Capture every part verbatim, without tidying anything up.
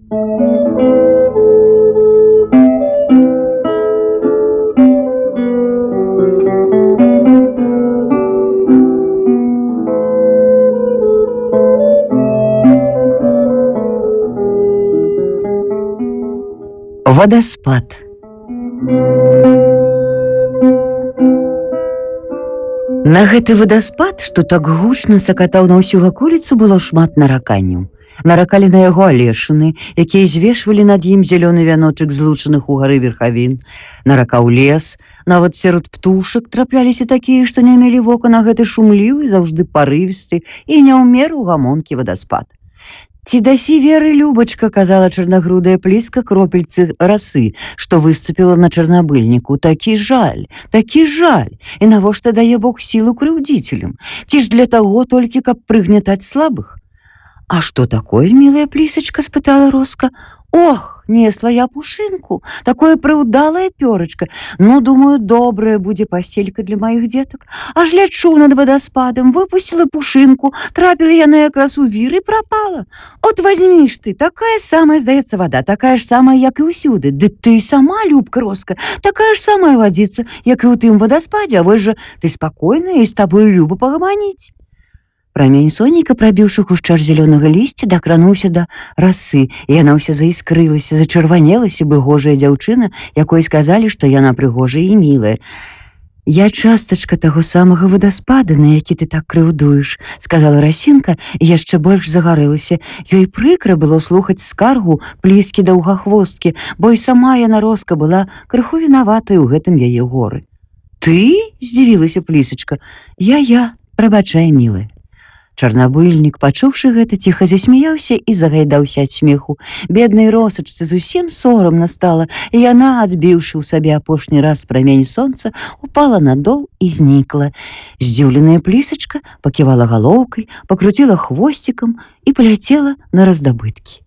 Вадаспад. На гэты вадаспад, што так гучна сакатаў на ўсю ваколіцу, было шмат нараканняў. Наракалі на яго алешыны, якія звешвалі над ім зялёны вяночак злучаных у гары верхавін. Наракаў лес, нават сярод птушак трапляліся такія, што не мелі вока на гэты шумлівы, заўжды парывісты і не ў меру гамонкі вадаспад. «Ці дасі веры, Любачка», — казала чарнагрудая пліска кропельцы расы, што выступіла на чарнабыльніку. «Такі жаль, такі жаль! І навошта дае Бог сілу крыўдзіцелям? Ці ж для таго толькі, каб прыгнятаць слабых?» «А што такое, мілая плісачка?» — спытала Роска. «Ох, несла я пушынку, такое прыўдалае пёрачка. Ну, думаю, добрая будзе пасцелька для маіх дзетак. Аж лячу над вадаспадам, выпусціла пушынку, трапіла яна якраз у вір і прапала. От возьмі ж ты, такая самая, здаецца, вада, такая ж самая, як і ўсюды. Ды ты сама, Любка, Роска, такая ж самая вадзіца, як і ў тым вадаспадзе, а вось жа ты спакойная, і з табою люба пагаманіць». Прамень сонейка, прабіўшы хушчар зялёнага лісця, дакрануўся да расы, і яна ўся заіскрылася, зачырванелася быгожая дзяўчына, якой сказалі, што яна прыгожая і мілая. «Я частачка таго самага вадаспада, на які ты так крыўдуеш», — сказала Расінка, і яшчэ больш загарэлася. Ёй прыкра было слухаць скаргу пліскі даўгахвосткі, бо і сама яна, Роска, была крыху вінаватай у гэтым яе горы. «Ты?» — здзівілася плісачка. «Я-я, прабачай, мілая». Чарнабыльнік, пачуўшы гэта, ціха засмяяўся і загайдаўся ад смеху. Беднай Росачцы зусім сорамна стала, і яна, адбіўшы ў сабе апошні раз прамень сонца, упала на дол і знікла. Здзіўленая плісачка паківала галоўкай, пакруціла хвосцікам і паляцела на раздабыткі.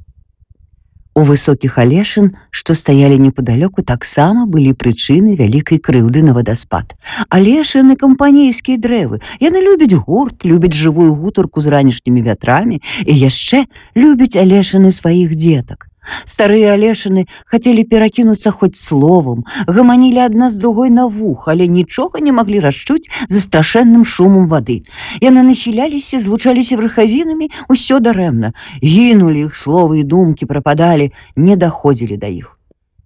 У высокіх алешын, што стаялі непадалёку, таксама былі прычыны вялікай крыўды на вадаспад. Алешыны — кампанейскія дрэвы. Яны любяць гурт, любяць жывую гутарку з ранішнімі вятрамі і яшчэ любяць алешыны сваіх дзетак. Старыя алешыны хацелі перакінуцца хоць словам, гаманілі адна з другой на вух, але нічога не маглі расчуць за страшэнным шумам вады. Яны нахіляліся, злучаліся верхавінамі, усё дарэмна. Гінулі іх словы і думкі, прападалі, не даходзілі да іх.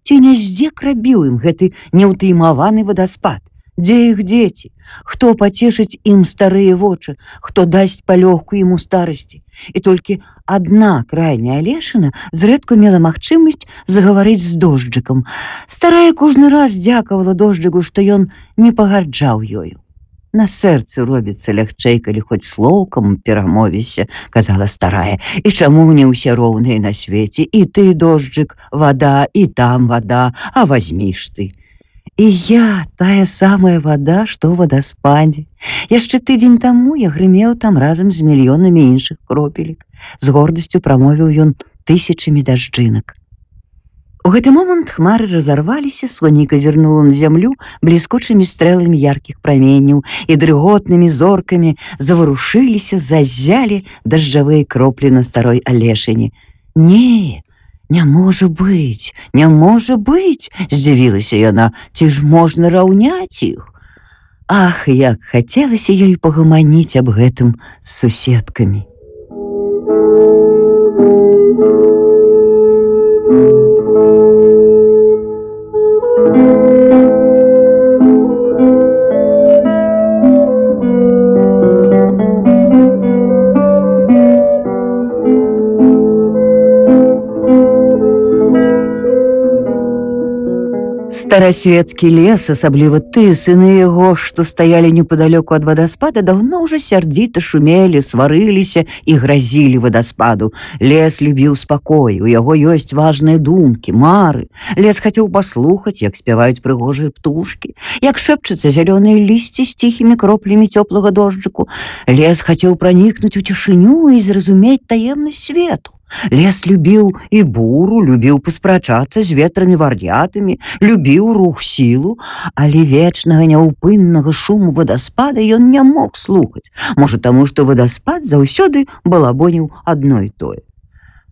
Ці не здзек рабіў ім гэты неўтаймаваны вадаспад? Дзе іх дзеці? Хто пацешыць ім старыя вочы? Хто дасць палёгку ім у старасці? І толькі адна крайняя алешына зрэдку мела магчымасць загаварыць з дожджыкам. Старая кожны раз дзякавала дожджыку, што ён не пагарджаў ёю. «На сэрцы робіцца лягчэй, калі хоць слоўкам перамовіся», — казала старая. «І чаму не ўсе роўныя на свеце? І ты, дожджык, вада, і там вада, а вазьміш ты». «І я тая самая вада, што ў вадаспадзе. Яшчэ тыдзень таму я грымеў там разам з мільёнамі іншых кропелек», — з гордасцю прамовіў ён тысячамі дажджынак. У гэты момант хмары разарваліся, сонейка зірнула на зямлю бліскучымі стрэламі яркіх праменняў, і дрыготнымі зоркамі заварушыліся, заззялі дажджавыя кроплі на старой алешыне. «Не, не можа быць, не можа быць!» — здзівілася яна. «Ці ж можна раўняць іх?» Ах, як хацелася ёй пагаманіць аб гэтым з суседкамі. Старасвецкі лес, асабліва ты, сыны яго, што стаялі непадалёку ад вадаспада, даўно ўжо сярдзіта шумелі, сварыліся і гразілі вадаспаду. Лес любіў спакой, у яго ёсць важныя думкі, мары. Лес хацеў паслухаць, як спяваюць прыгожыя птушкі, як шэпчацца зялёныя лісці з ціхімі кроплямі цёплага дожджыку. Лес хацеў пранікнуць у цішыню і зразумець таемнасць свету. Лес любіў і буру, любіў паспрачацца з ветрамі вар'ятамі, любіў рух сілу, але вечнага няўпыннага шуму вадаспада ён не мог слухаць. Можа, таму, што вадаспад заўсёды балабоніў адно і тое.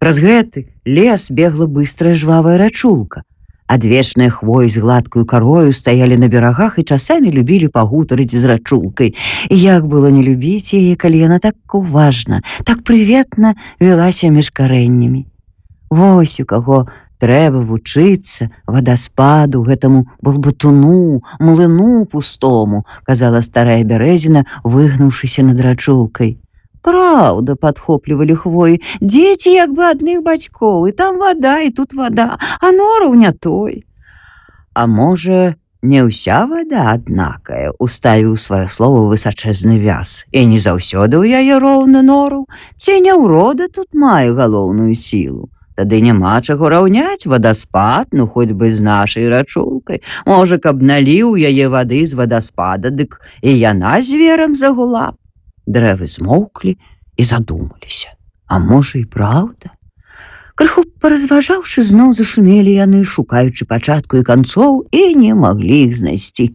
Праз гэты лес бегла быстрая жвавая рачулка. Адвечныя хвоі з гладкую карою стаялі на берагах і часамі любілі пагутарыць з рачулкай. І як было не любіць яе, калі яна так уважна, так прыветна вялася між карэннямі. Вось у каго трэба вучыцца вадаспаду, гэтаму балбатуну, млыну пустому, казала старая бярэзіна, выгнуўшыся над рачулкай. Праўда, падхоплівалі хвоі, дзеці як бы адных бацькоў, і там вада, і тут вада, а нораў не той. А можа, не ўся вада аднакая, уставіў сваё слово высачэзны вяз, і не заўсёды ў яе роўны нораў, ці не ўрода тут мае галоўную сілу. Тады няма чаго раўняць вадаспад, ну хоць бы з нашай рачулкай. Можа, каб наліў яе вады з вадаспада, дык і яна зверам загула. Дрэвы змоўклі і задумаліся. А можа, і праўда? Крыху паразважаўшы, зноў зашумелі яны, шукаючы пачатку і канцоў, і не маглі іх знайсці.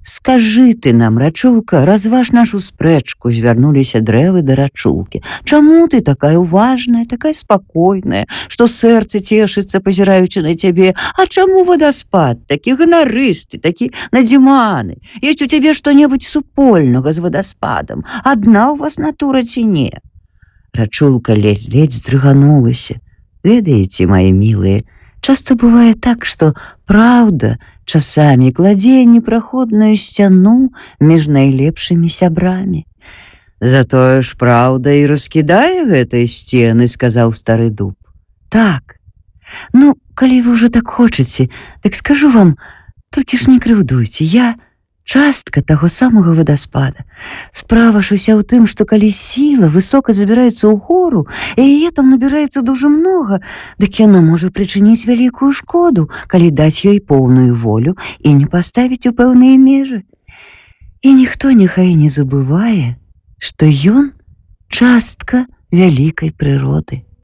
Скажы ты нам, рачулка, разваж нашу спрэчку, звярнуліся дрэвы да рачулкі. Чаму ты такая уважная, такая спакойная, што сэрца цешыцца, пазіраючы на цябе? А чаму вадаспад, такі ганарысты, такі надзіманы? Ёсць у цябе што-небудзь супольнага з вадаспадам? Адна ў вас натура ці не? Рачулка ледзь-ледзь здрыганулася. Ведаеце, мои мілыя, часта бывае так, што праўда часамі кладзе непраходную сцяну між найлепшымі сябрамі. Затое ж праўда і раскідае гэтай сцены, сказаў стары дуб. Так, ну, калі вы ўжо так хочаце, так скажу вам, толькі ж не крыўдуйце, я частка таго самага вадаспада. Справа ж уся ў тым, што калі сіла высока забіраецца ў гору, і яе там набіраецца дужа многа, дык яна можа прычыніць вялікую шкоду, калі даць ёй поўную волю і не паставіць у пэўныя межы. І ніхто няхай не забывае, што ён частка вялікай прыроды.